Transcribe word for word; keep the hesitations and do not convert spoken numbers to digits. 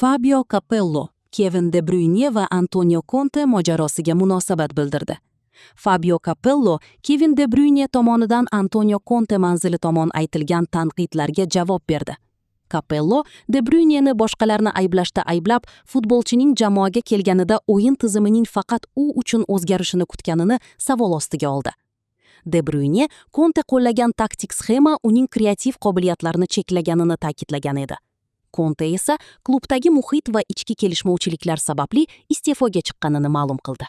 Fabio Capello Kevin De Bruyne va Antonio Conte mojarosiga munosabat bildirdi. Fabio Capello Kevin De Bruyne tomonidan Antonio Conte manzili tomon aytilgan tanqidlarga javob berdi. Capello De Bruyne'ni boshqalarni ayblashda ayblab, futbolchining jamoaga kelganida o'yin tizimining faqat u uchun o'zgarishini kutganini savol ostiga oldi. De Bruyne Conte qo'llagan taktik sxema uning kreativ qobiliyatlarini cheklaganini ta'kidlagan edi. Conte esa klubdagi muhit va ichki kelishmovchiliklar sababli iste'foga chiqqanini ma'lum qildi.